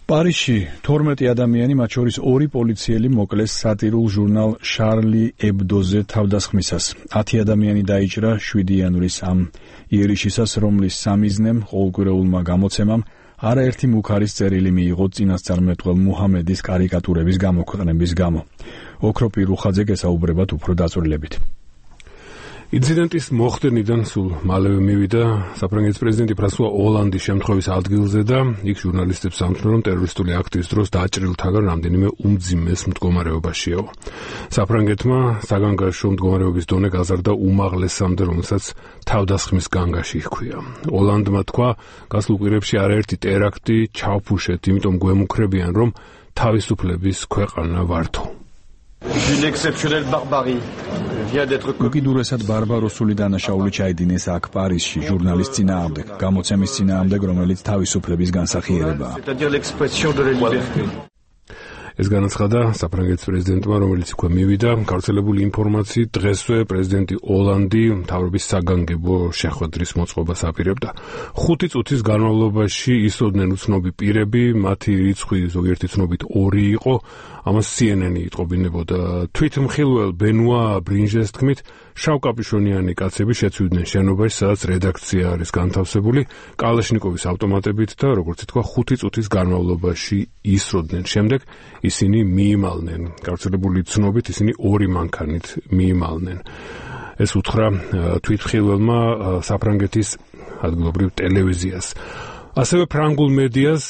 პარიზში 12 ადამიანი, მათ შორის 2 პოლიციელი მოკლეს სატირულ ჟურნალ შარლი ებდოზე თავდასხმისას. 10 ადამიანი დაიჭრა 7 იანვრის ამ იერიშისას, რომლის სამიზნემ ყოველკვირეულმა გამოცემამ არაერთი მუქარის წერილი მიიღო წინასწარმეტყველ მუჰამედის კარიკატურების გამოქვეყნების გამო. ოქროპი რუხაძე გესაუბრებათ უფრო დაწვრილებით. ინციდენტის მოხდენიდან სულ მალევე მივიდა საფრანგეთის პრეზიდენტი ფრანსუა ოლანდი შემთხვევის ადგილზე და იქ ჟურნალისტებს ამთნო, რომ ტერორისტული აქტის დროს დაჭრილთაგან რამდენიმე უმძიმეს მდგომარეობაშიაო. საფრანგეთმა საგანგაშო მდგომარეობის დონე გაზარდა უმაღლესამდე, რომელსაც თავდასხმის განგაში ჰქვია. ოლანდმა თქვა, გასულ კვირებში არაერთი ტერაქტი ჩავფუშეთ, იმიტომ გვემუქრებიან, რომ თავისუფლების ქვეყანა ვართო. უკიდურესად ბარბაროსული დანაშაული ჩაიდინეს აქ პარიზში ჟურნალის წინააღმდეგ, გამოცემის წინააღმდეგ, რომელიც თავისუფლების განსახიერებაა. ეს განაცხადა საფრანგეთის პრეზიდენტმა, რომელიც იქვე მივიდა, გავრცელებული ინფორმაციით დღესვე პრეზიდენტი ოლანდი მთავრობის საგანგებო შეხვედრის მოწყობას აპირებდა. 5 წუთის განმავლობაში ისოდნენ უცნობი პირები, მათი რიცხვი ზოგიერთი ცნობით 2 იყო, ამას CNN-ი იტყობინებოდა. თვითმხილველ ბენუა ბრინჟეს თქმით, შავკაპიშონიანი კაცები შეცვლიდნენ შენობაში, სადაც რედაქცია არის განთავსებული, კალაშნიკოვის ავტომატებით და, როგორც ითქვა, 5 წუთის განმავლობაში ისროდნენ. შემდეგ ისინი მიიმალნენ. გავრცელებული ცნობით ისინი 2 მანქანით მიიმალნენ. ეს უთხრა თვითმხილველმა საფრანგეთის ადგილობრივ ტელევიზიას. ასევე ფრანგულ მედიას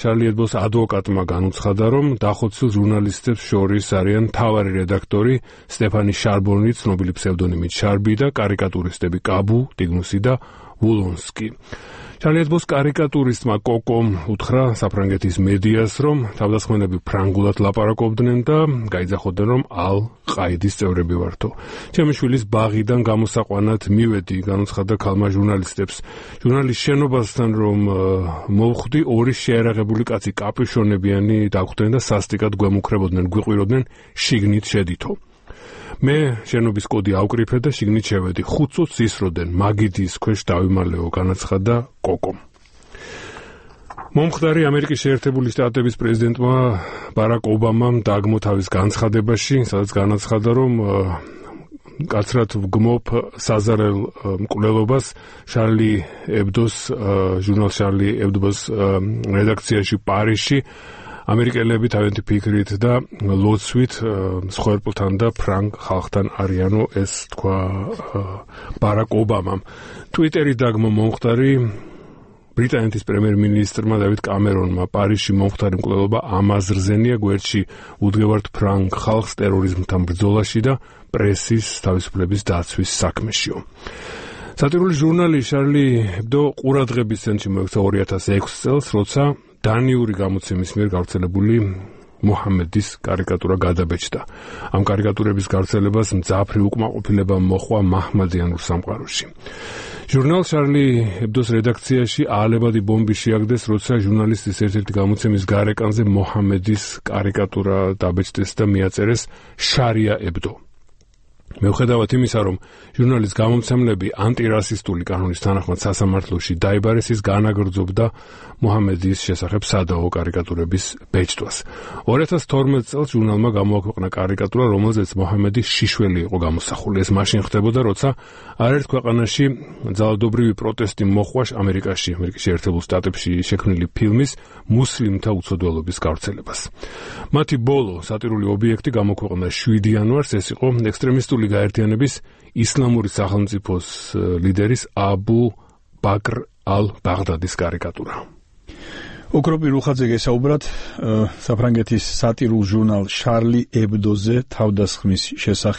შარლი ებდოს ადვოკატმა განუცხადა, რომ დახოცილ ჟურნალისტებს შორის არიან მთავარი რედაქტორი სტეფანი შარბონი, ცნობილი ფსევდონიმით შარბი და კარიკატურისტები კაბუ, ტიგნუსი და ვულონსკი. შარლი ებდოს კარიკატურისტმა კოკომ უთხრა საფრანგეთის მედიას, რომ თავდასხმელები ფრანგულად ლაპარაკობდნენ და გაიძახოდნენ, რომ ალ-ყაიდის წევრები ვართო. ჩემი შვილის ბაღიდან გამოსაყვანად მივედი, განუცხადა ქალმა ჟურნალისტებს. ჟურნალის შენობასთან რომ მოვხვდი, 2 შეერაღებული კაცი კაპიშონებიანი დაგვხვდნენ და სასტიკად გვემუქრებოდნენ, გვიყვიროდნენ შიგნით შედითო. მე შენობის კოდი ავკრიფე და შიგნით შევედი. 5 წუთს ისროდნენ, მაგიდის ქვეშ დავიმალეო, განაცხადა კოკომ. მომხდარი ამერიკის შეერთებული შტატების პრეზიდენტმა ბარაკ ობამამ დააგმო თავის განცხადებაში, სადაც განაცხადა, რომ კაცრად ვგმობ საზარელ მკვლელობას შარლი ებდოს ჟურნალ შარლი ებდოს რედაქციაში პარიზში. ამერიკელები თავიანთი ფიქრით და ლოცვით მსხვერპლთან და ფრანგ ხალხთან არიანო, ეს თქვა ბარაკ ობამამ. ტვიტერი დაგმო მომხდარი ბრიტანეთის პრემიერ-მინისტრმა დავიდ კამერონმა. პარიზში მომხდარი მკვლელობა ამაზრზენია, გვერდში უდგევართ ფრანგ ხალხს ტერორიზმთან ბრძოლაში და პრესის თავისუფლების დაცვის საქმეშიო. სატირული ჟურნალი შარლი ებდო ყურადღების ცენტრში მოექცა 2006 წელს, როცა დანიური გამოცემის მიერ გავრცელებული მუჰამედის კარიკატურა გადაბეჭდა. ამ კარიკატურების გავრცელებას მძაფრი უკმაყოფილება მოჰყვა მაჰმადიანურ სამყაროში. ჟურნალ შარლი ებდოს რედაქციაში აალებადი ბომბი შეაგდეს, როცა ჟურნალისტის ერთ-ერთი გამოცემის გარეკანზე მუჰამედის კარიკატურა დაბეჭდეს და მიაწერეს შარია ებდო. მიუხედავად იმისა, რომ ჟურნალის გამომცემლები ანტირასისტული კანონის თანახმად სასამართლოში დაიბარეს, ის განაგრძობდა მუჰამედის შესახებ სადაო კარიკატურების ბეჭდვას. 2012 წელს ჟურნალმა გამოაქვეყნა კარიკატურა, რომელზეც მუჰამედის შიშველი იყო გამოსახული. ეს მაშინ ხდებოდა, როცა არაერთ ქვეყანაში ძალადობრივი პროტესტი მოჰყვა ამერიკის შეერთებულ შტატებში შექმნილი ფილმის მუსლიმთა უცოდველობის გავრცელებას. მათი ბოლო სატირული ობიექტი გამოქვეყნა 7 იანვარს, ეს იყო ექსტრემისტული გაერთიანების ისლამური სახელმწიფოს ლიდერის აბუ ბაკრ ალ-ბაღდადის კარიკატურა. ოქროპი რუხაძე გესაუბრათ საფრანგეთის სატირულ ჟურნალ შარლი ებდოზე თავდასხმის შესახებ.